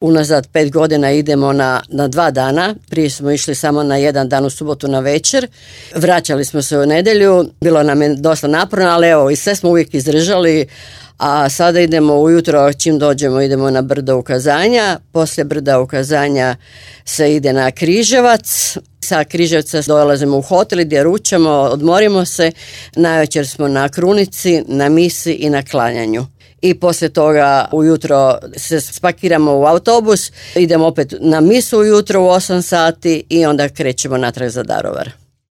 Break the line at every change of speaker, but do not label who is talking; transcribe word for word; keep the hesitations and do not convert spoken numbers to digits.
unazad pet godina idemo na, na dva dana. Prije smo išli samo na jedan dan u subotu na večer. Vraćali smo se u nedjelju. Bilo nam je dosta naporno, ali evo, i sve smo uvijek izdržali. A sada idemo ujutro, čim dođemo, idemo na brdo ukazanja. Poslije brda ukazanja se ide na Križevac. Sa Križevca dolazimo u hotel gdje ručamo, odmorimo se. Navečer smo na krunici, na misi i na klanjanju. I poslije toga ujutro se spakiramo u autobus, idemo opet na misu ujutro u osam sati i onda krećemo natrag za Daruvar.